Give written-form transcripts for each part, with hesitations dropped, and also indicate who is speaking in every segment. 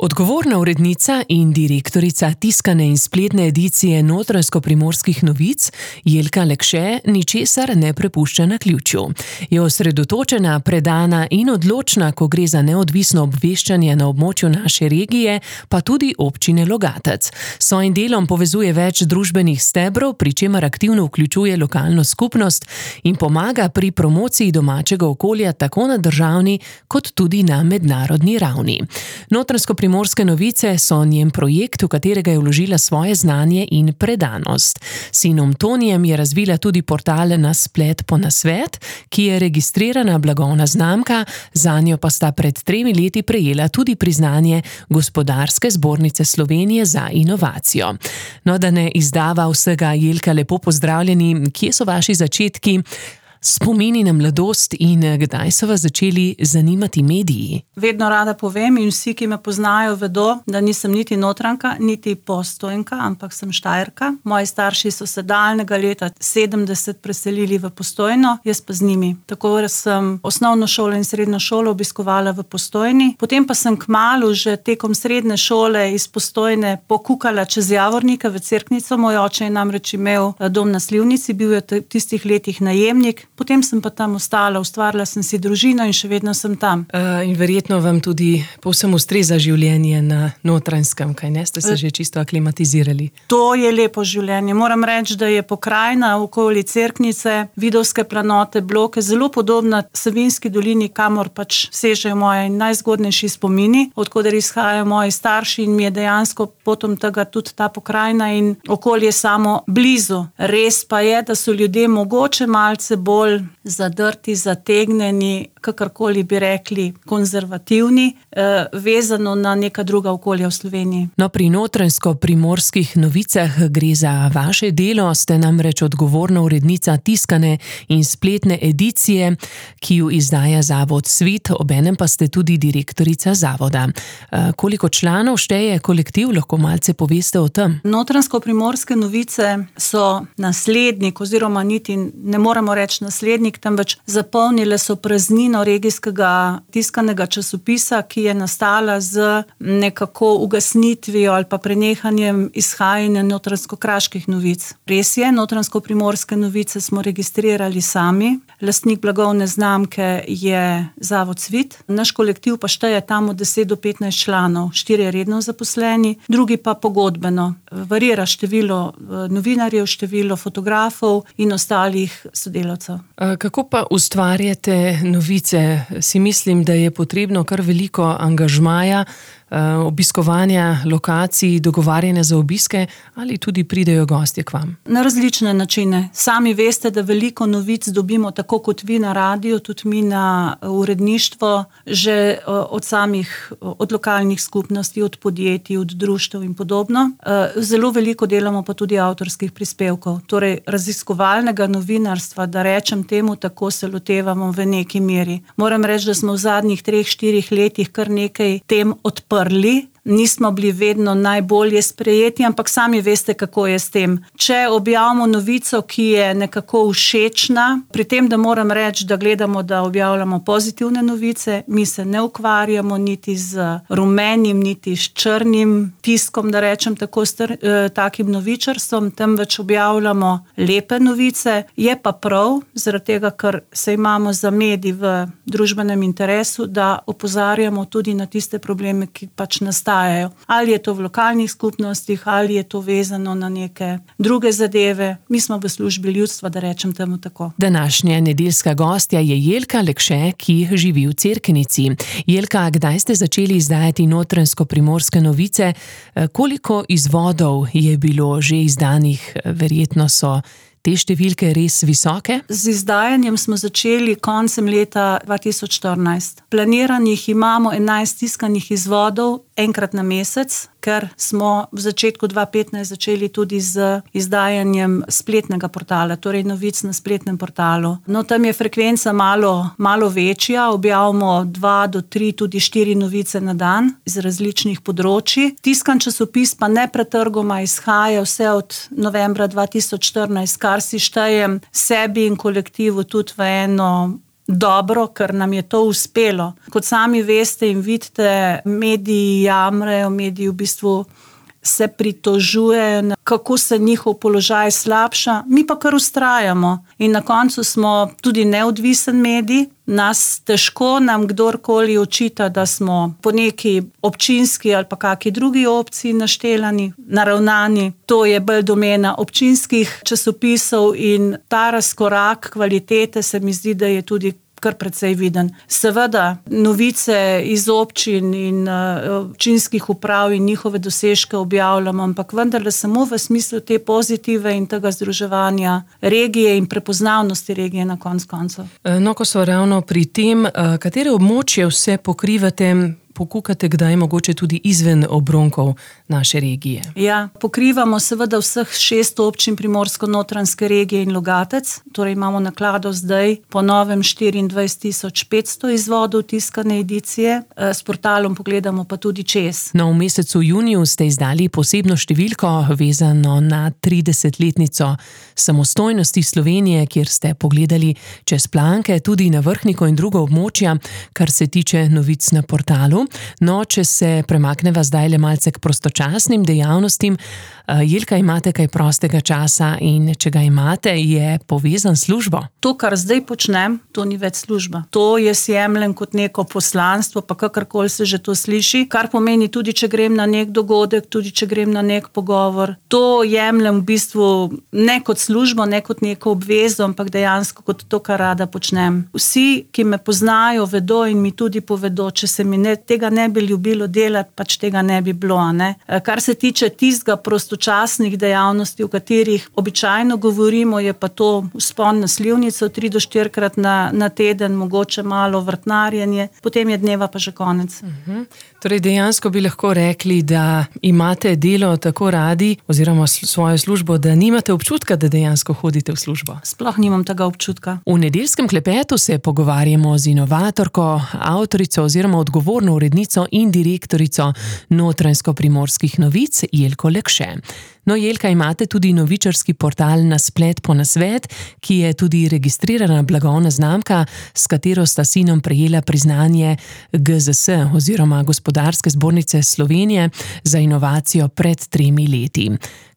Speaker 1: Odgovorna urednica in direktorica tiskane in spletne edicije Notranjsko-primorskih novic Jelka Lekše ničesar ne prepušča naključju. Je osredotočena, predana in odločna, ko gre za neodvisno obveščanje na območju naše regije, pa tudi občine Logatec. S svojim delom povezuje več družbenih stebrov, pri čemer aktivno vključuje lokalno skupnost in pomaga pri promociji domačega okolja tako na državni kot tudi na mednarodni ravni. Notranjsko-primorske novice so njen projekt, v katerega je vložila svoje znanje in predanost. S sinom Tonijem je razvila tudi portal Na splet po nasvet, ki je registrirana blagovna znamka, zanjo pa sta pred 3 leti prejela tudi priznanje Gospodarske zbornice Slovenije za inovacijo. No, da ne izdava vsega, Jelka, lepo pozdravljeni. Kje so vaši začetki? Spomini na mladost in kdaj so vas začeli zanimati mediji?
Speaker 2: Vedno rada povem in vsi, ki me poznajo, vedo, da nisem niti Notranjka, niti Postojnka, ampak sem Štajerka. Moji starši so se daljnega leta 70 preselili v Postojno, jaz pa z njimi. Tako sem osnovno šolo in srednjo šolo obiskovala v Postojni. Potem pa sem kmalu že tekom srednje šole iz Postojne pokukala čez Javornika v Cerknico. Moj oče je namreč imel dom na Slivnici, bil je v tistih letih najemnik. Potem sem pa tam ostala, ustvarila sem si družino in še vedno sem tam.
Speaker 1: In verjetno vam tudi povsem ustreza življenje na Notranjskem, kaj ne? Ste se že čisto aklimatizirali?
Speaker 2: To je lepo življenje. Moram reči, da je pokrajina okoli Cerknice, Vidovske planote, Bloke zelo podobna Savinjski dolini, kamor pač sežejo moji najzgodnejši spomini, odkoder izhajajo moji starši, in mi je dejansko potom tega tudi ta pokrajina in okolje samo blizu. Res pa je, da so ljudje mogoče malce bolj zadrti, zategnjeni, kakorkoli bi rekli, konzervativni, vezano na neka druga okolja v Sloveniji.
Speaker 1: No, pri Notranjsko-primorskih novicah gre za vaše delo, ste namreč odgovorna urednica tiskane in spletne edicije, ki jo izdaja Zavod Svit, obenem pa ste tudi direktorica zavoda. Koliko članov šteje kolektiv, lahko malce poveste o tem?
Speaker 2: Notranjsko-primorske novice so naslednik, oziroma niti ne moremo reči naslednik, temveč zapolnile so praznino regijskega tiskanega časopisa, ki je nastala z nekako ugasnitvijo ali pa prenehanjem izhajanja notranjsko-kraških novic. Res je, Notranjsko-primorske novice smo registrirali sami, lastnik blagovne znamke je Zavod Svit, naš kolektiv pa šteje tam od 10 do 15 članov, 4 redno zaposleni, drugi pa pogodbeno. Varira število novinarjev, število fotografov in ostalih sodelavcev.
Speaker 1: Kako pa ustvarjate novice? Si mislim, da je potrebno kar veliko angažmaja, obiskovanja lokacij, dogovarjanja za obiske, ali tudi pridejo gostje k vam? Na
Speaker 2: različne načine. Sami veste, da veliko novic dobimo tako kot vi na radiju, tudi mi na uredništvo, že od lokalnih skupnosti, od podjetij, od društev in podobno. Zelo veliko delamo pa tudi avtorskih prispevkov. Torej, raziskovalnega novinarstva, da rečem temu, tako se lotevamo v neki meri. Moram reči, da smo v zadnjih 3-4 letih kar nekaj tem odprli. Nismo bili vedno najbolje sprejeti, ampak sami veste, kako je s tem. Če objavimo novico, ki je nekako všečna, pri tem, da moram reči, da gledamo, da objavljamo pozitivne novice, mi se ne ukvarjamo niti z rumenim, niti s črnim tiskom, da rečem tako, takim novičarstvom, temveč objavljamo lepe novice. Je pa prav, zaradi tega, ker se imamo za medij v družbenem interesu, da opozarjamo tudi na tiste probleme, ki pač nastajajo. Ali je to v lokalnih skupnostih, ali je to vezano na neke druge zadeve. Mi smo v službi ljudstva, da rečem temu tako.
Speaker 1: Današnja nedeljska gostja je Jelka Lekše, ki živi v Cerknici. Jelka, kdaj ste začeli izdajati Notranjsko-primorske novice? Koliko izvodov je bilo že izdanih? Verjetno so te številke res visoke?
Speaker 2: Z izdajanjem smo začeli koncem leta 2014. Planiranih imamo 11 tiskanih izvodov, enkrat na mesec, ker smo v začetku 2015 začeli tudi z izdajanjem spletnega portala, torej novic na spletnem portalu. No, tam je frekvenca malo večja, objavimo 2 do 3, tudi 4 novice na dan iz različnih področji. Tiskan časopis pa nepretrgoma izhaja vse od novembra 2014, kar si štejem sebi in kolektivu tudi v eno dobro, ker nam je to uspelo. Kot sami veste in vidite, mediji jamrajo, mediji v bistvu se pritožujejo, kako se njihov položaj slabša, mi pa kar vztrajamo. In na koncu smo tudi neodvisen medij, težko nam kdorkoli očita, da smo po neki občinski ali pa kaki drugi opciji naravnani. To je bolj domena občinskih časopisov in ta razkorak kvalitete se mi zdi, da je tudi kar precej viden. Seveda, novice iz občin in občinskih uprav in njihove dosežke objavljamo, ampak vendarle samo v smislu te pozitive in tega združevanja regije in prepoznavnosti regije na koncu.
Speaker 1: No, ko so ravno pri tem, katere območje vse pokrivate, pokukate kdaj mogoče tudi izven obronkov naše regije?
Speaker 2: Ja, pokrivamo seveda vseh 6 občin Primorsko-Notranjske regije in Logatec, torej imamo naklado zdaj po novem 24.500 izvodov tiskane edicije, s portalom pogledamo pa tudi čez.
Speaker 1: No, v mesecu juniju ste izdali posebno številko vezano na 30-letnico samostojnosti Slovenije, kjer ste pogledali čez planke tudi na Vrhniko in druga območja, kar se tiče novic na portalu. No, če se premakneva zdaj le malce k prostočasnim dejavnostim, Jelka, imate kaj prostega časa in če ga imate, je povezan s službo?
Speaker 2: To, kar zdaj počnem, to ni več služba. To jaz jemljem kot neko poslanstvo, pa kakorkoli se že to sliši, kar pomeni tudi, če grem na nek dogodek, tudi če grem na nek pogovor. To jemljem v bistvu ne kot službo, ne kot neko obvezo, ampak dejansko kot to, kar rada počnem. Vsi, ki me poznajo, vedo in mi tudi povedo, če se mi tega ne bi ljubilo delati, pač tega ne bi bilo. Ne? Kar se tiče tistega prostočasnih dejavnosti, o katerih običajno govorimo, je pa to vzpon na Slivnico 3 do 4-krat na teden, mogoče malo vrtnarjenje, potem je dneva pa že konec.
Speaker 1: Torej dejansko bi lahko rekli, da imate delo tako radi oziroma svojo službo, da nimate občutka, da dejansko hodite v službo.
Speaker 2: Sploh nimam tega občutka.
Speaker 1: V nedeljskem klepetu se pogovarjamo z inovatorko, avtorico oziroma odgovorno urednico in direktorico Notranjsko-primorskih novic Jelko Lekše. No, Jelka, imate tudi novičarski portal Nasplet po nasvet, ki je tudi registrirana blagovna znamka, s katero sta sinom prejela priznanje GZS oziroma Gospodarske zbornice Slovenije za inovacijo pred 3 leti.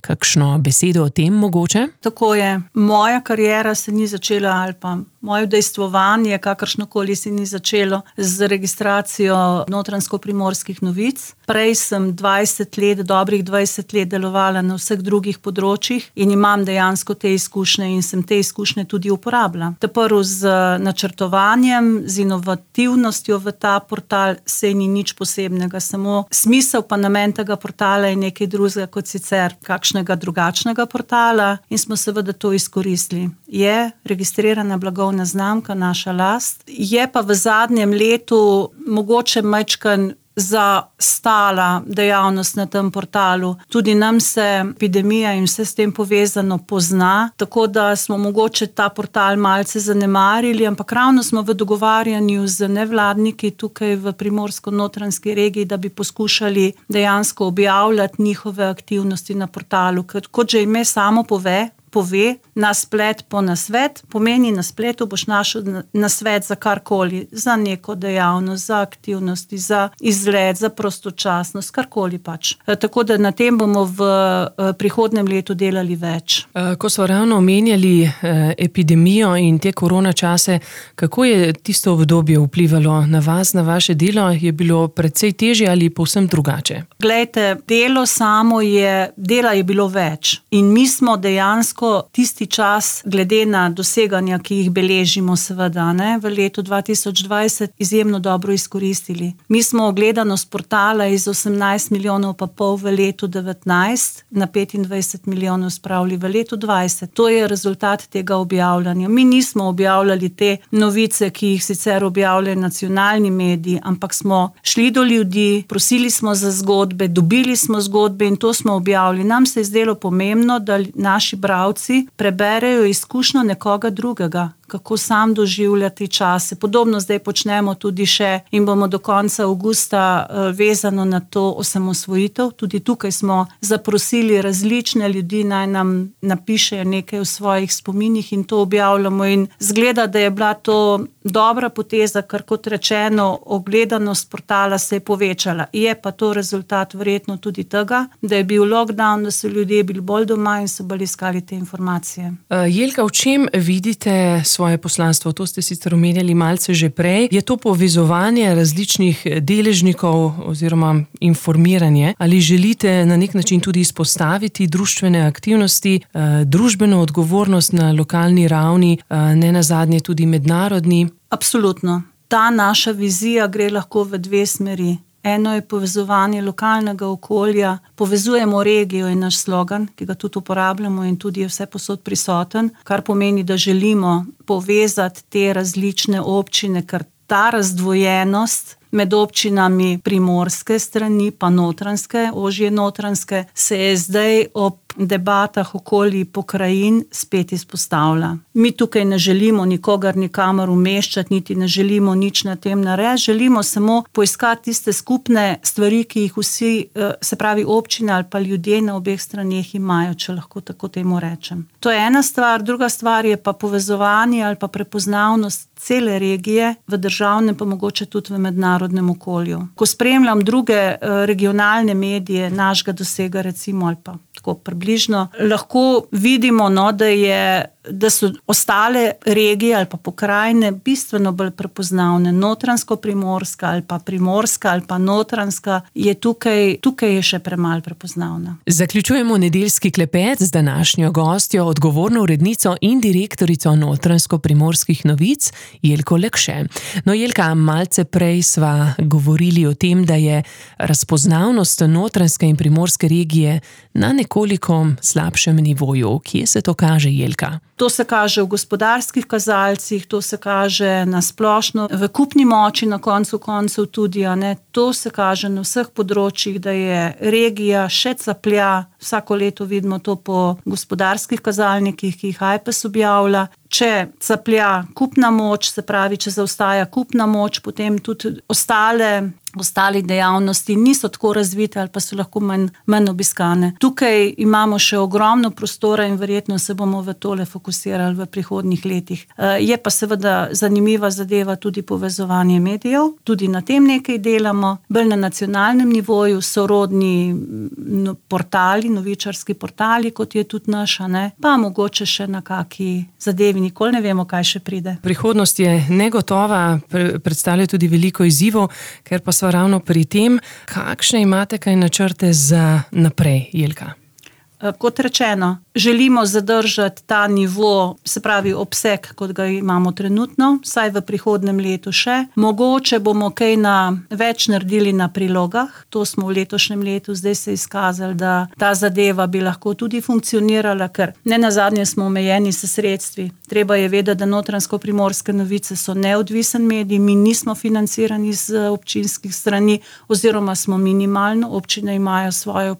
Speaker 1: Kakšno besedo o tem mogoče?
Speaker 2: Tako je. Moja kariera se ni začela, ali pa moje udejstvovanje, kakršnokoli se ni začelo z registracijo Notranjsko-primorskih novic. Prej sem 20 let, dobrih 20 let delovala na vseh drugih področjih in imam dejansko te izkušnje in sem te izkušnje tudi uporabila. Prvo z načrtovanjem, z inovativnostjo v ta portal se ni nič posebnega, samo smisel pa namen tega portala je nekaj drugega kot sicer kakšnega drugačnega portala in smo seveda to izkoristili. Je registrirana blagovna znamka, naša last, je pa v zadnjem letu mogoče majčkan zastala dejavnost na tem portalu. Tudi nam se epidemija in vse s tem povezano pozna, tako da smo mogoče ta portal malce zanemarili, ampak ravno smo v dogovarjanju z nevladniki tukaj v Primorsko-Notranjski regiji, da bi poskušali dejansko objavljati njihove aktivnosti na portalu. Kot že ime samo pove, Nasplet po nasvet, pomeni na spletu boš našel nasvet za karkoli, za neko dejavnost, za aktivnosti, za izlet, za prostočasnost, karkoli pač. Tako da na tem bomo v prihodnjem letu delali več.
Speaker 1: Ko smo ravno omenjali epidemijo in te korona čase, kako je tisto obdobje vplivalo na vas, na vaše delo? Je bilo precej težje ali povsem drugače?
Speaker 2: Glejte, dela je bilo več in mi smo dejansko tisti čas, glede na doseganja, ki jih beležimo seveda, v letu 2020 izjemno dobro izkoristili. Mi smo gledanost portala iz 18 milijonov pa pol v letu 19 na 25 milijonov spravili v letu 20. To je rezultat tega objavljanja. Mi nismo objavljali te novice, ki jih sicer objavljajo nacionalni mediji, ampak smo šli do ljudi, prosili smo za zgodbe, dobili smo zgodbe in to smo objavili. Nam se je zdelo pomembno, da naši bralci preberejo izkušnjo nekoga drugega, kako sam doživljati čase. Podobno zdaj počnemo tudi še in bomo do konca avgusta vezano na to osamosvojitev. Tudi tukaj smo zaprosili različne ljudi, naj nam napišejo nekaj o svojih spominih in to objavljamo. In zgleda, da je bila to dobra poteza, ker kot rečeno, ogledanost portala se je povečala. Je pa to rezultat verjetno tudi tega, da je bil lockdown, da so ljudje bili bolj doma in so bolj iskali te informacije.
Speaker 1: Jelka, v čem vidite svoje poslanstvo? To ste sicer omenjali malce že prej. Je to povezovanje različnih deležnikov oziroma informiranje? Ali želite na nek način tudi izpostaviti društvene aktivnosti, družbeno odgovornost na lokalni ravni, ne nazadnje tudi mednarodni?
Speaker 2: Absolutno. Ta naša vizija gre lahko v dve smeri. Eno je povezovanje lokalnega okolja, povezujemo regijo in naš slogan, ki ga tudi uporabljamo in tudi je vse posod prisoten, kar pomeni, da želimo povezati te različne občine, ker ta razdvojenost med občinami primorske strani pa notranjske, ožje notranjske, se je zdaj ob debatah okoli pokrajin spet izpostavlja. Mi tukaj ne želimo nikogar nikamor umeščati, niti ne želimo nič na tem narediti, želimo samo poiskati tiste skupne stvari, ki jih vsi, se pravi občine ali pa ljudje na obeh straneh imajo, če lahko tako temu rečem. To je ena stvar, druga stvar je pa povezovanje ali pa prepoznavnost cele regije v državnem, pa mogoče tudi v mednarodnem okolju. Ko spremljam druge regionalne medije našega dosega recimo ali pa tako približno, lahko vidimo, da so ostale regije ali pa pokrajine bistveno bolj prepoznavne. Notranjsko-primorska ali pa primorska ali pa notranjska je tukaj je še premalo prepoznavna.
Speaker 1: Zaključujemo nedeljski klepet z današnjo gostjo, odgovorno urednico in direktorico Notranjsko-primorskih novic, Jelko Lekše. No, Jelka, malce prej sva govorili o tem, da je razpoznavnost notranjske in primorske regije na nekoliko slabšem nivoju. Kje se to kaže, Jelka?
Speaker 2: To se kaže v gospodarskih kazalcih, to se kaže na splošno v kupni moči, na koncu koncev tudi, to se kaže na vseh področjih, da je regija še caplja, vsako leto vidimo to po gospodarskih kazalnikih, ki jih Ajpes objavlja. Če caplja kupna moč, se pravi, če zaostaja kupna moč, potem tudi ostale dejavnosti niso tako razvite ali pa so lahko manj obiskane. Tukaj imamo še ogromno prostora in verjetno se bomo v tole fokusirali v prihodnjih letih. Je pa seveda zanimiva zadeva tudi povezovanje medijev, tudi na tem nekaj delamo, bolj na nacionalnem nivoju, sorodni portali, novičarski portali, kot je tudi naša, pa mogoče še na kaki zadevi, nikoli ne vemo, kaj še pride.
Speaker 1: Prihodnost je negotova, predstavlja tudi veliko izzivov, ker pa sva ravno pri tem, kakšne imate kaj načrte za naprej, Jelka?
Speaker 2: Kot rečeno, želimo zadržati ta nivo, se pravi obseg, kot ga imamo trenutno, vsaj v prihodnem letu še. Mogoče bomo kaj več naredili na prilogah, to smo v letošnjem letu, zdaj se je izkazali, da ta zadeva bi lahko tudi funkcionirala, ker ne nazadnje smo omejeni s sredstvi. Treba je vedeti, da Notranjsko-primorske novice so neodvisen medij, mi nismo financirani z občinskih strani, oziroma smo minimalno, občine imajo svoje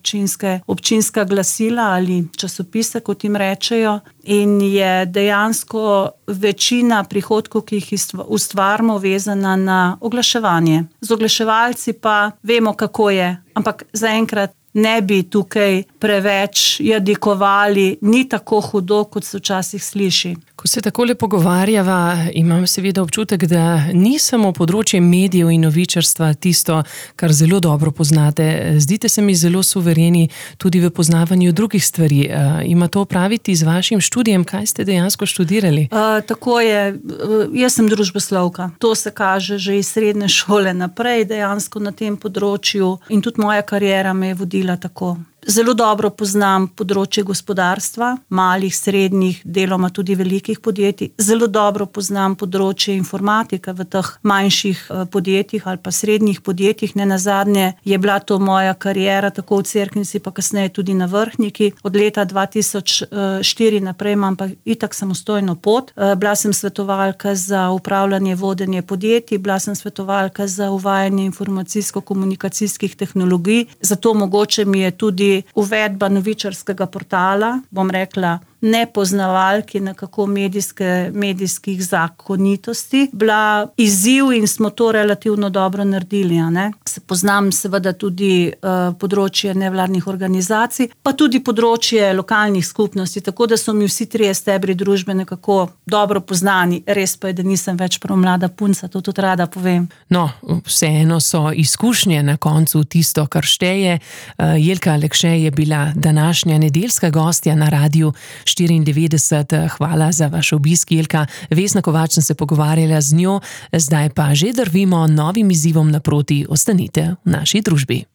Speaker 2: občinska glasila ali časopise, kot jim rečejo, in je dejansko večina prihodkov, ki jih ustvarimo, vezana na oglaševanje. Z oglaševalci pa vemo, kako je, ampak zaenkrat ne bi tukaj preveč jadikovali, ni tako hudo, kot se včasih sliši.
Speaker 1: Ko se takole pogovarjava, imam seveda občutek, da ni samo področje medijev in novičarstva tisto, kar zelo dobro poznate. Zdite se mi zelo suvereni tudi v poznavanju drugih stvari. Ima to opraviti z vašim študijem? Kaj ste dejansko študirali?
Speaker 2: Tako je. Jaz sem družboslovka. To se kaže že iz srednje šole naprej, dejansko na tem področju, in tudi moja kariera me je vodila tako. Zelo dobro poznam področje gospodarstva, malih, srednjih, deloma tudi velikih podjetij. Zelo dobro poznam področje informatike v teh manjših podjetjih ali pa srednjih podjetjih. Ne nazadnje je bila to moja kariera, tako v Cerknici, pa kasneje tudi na Vrhniki. Od leta 2004 naprej imam pa itak samostojno pot. Bila sem svetovalka za upravljanje, vodenje podjetij, bila sem svetovalka za uvajanje informacijsko-komunikacijskih tehnologij. Zato mogoče mi je tudi uvedba novičarskega portala, bom rekla, nepoznavalki nekako medijskih zakonitosti, bila izziv in smo to relativno dobro naredili. Se poznam seveda tudi področje nevladnih organizacij, pa tudi področje lokalnih skupnosti, tako da so mi vsi trije stebri družbe nekako dobro poznani. Res pa je, da nisem več prav mlada punca, to tudi rada povem.
Speaker 1: No, vseeno so izkušnje na koncu tisto, kar šteje. Jelka Lekše je bila današnja nedeljska gostja na Radiu 94. Hvala za vaš obisk, Jelka. Vesna Kovač sem se pogovarjala z njo, zdaj pa že drvimo novim izzivom naproti. Ostanite v naši družbi.